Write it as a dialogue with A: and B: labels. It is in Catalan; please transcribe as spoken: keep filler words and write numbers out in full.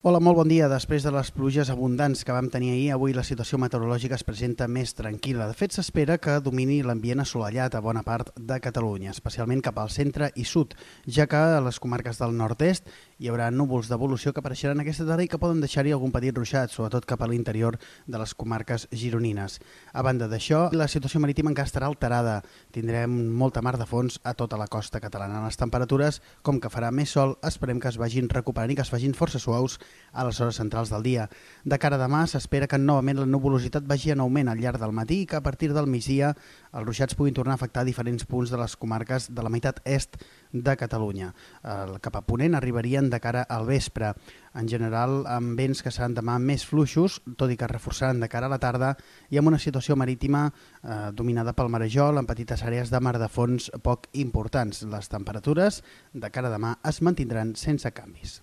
A: Hola, molt bon dia. Després de les pluges abundants que vam tenir ahir, avui la situació meteorològica es presenta més tranquil·la. De fet, s'espera que domini l'ambient assolellat a bona part de Catalunya, especialment cap al centre i sud, ja que a les comarques del nord-est hi haurà núvols d'evolució que apareixeran aquesta tarda i que poden deixar-hi algun petit ruixat, sobretot cap a l'interior de les comarques gironines. A banda d'això, la situació marítima encara estarà alterada. Tindrem molta mar de fons a tota la costa catalana. Les temperatures, com que farà més sol, esperem que es vagin recuperant i que es vagin força suaus a les hores centrals del dia. De cara a demà s'espera que novament la nuvolositat vagi en augment al llarg del matí i que a partir del migdia els ruixats puguin tornar a afectar diferents punts de les comarques de la meitat est de Catalunya. El cap a ponent arribarien de cara al vespre. En general, amb vents que seran demà més fluixos, tot i que es reforçaran de cara a la tarda, i amb una situació marítima eh, dominada pel marejol en petites àrees de mar de fons poc importants. Les temperatures de cara a demà es mantindran sense canvis.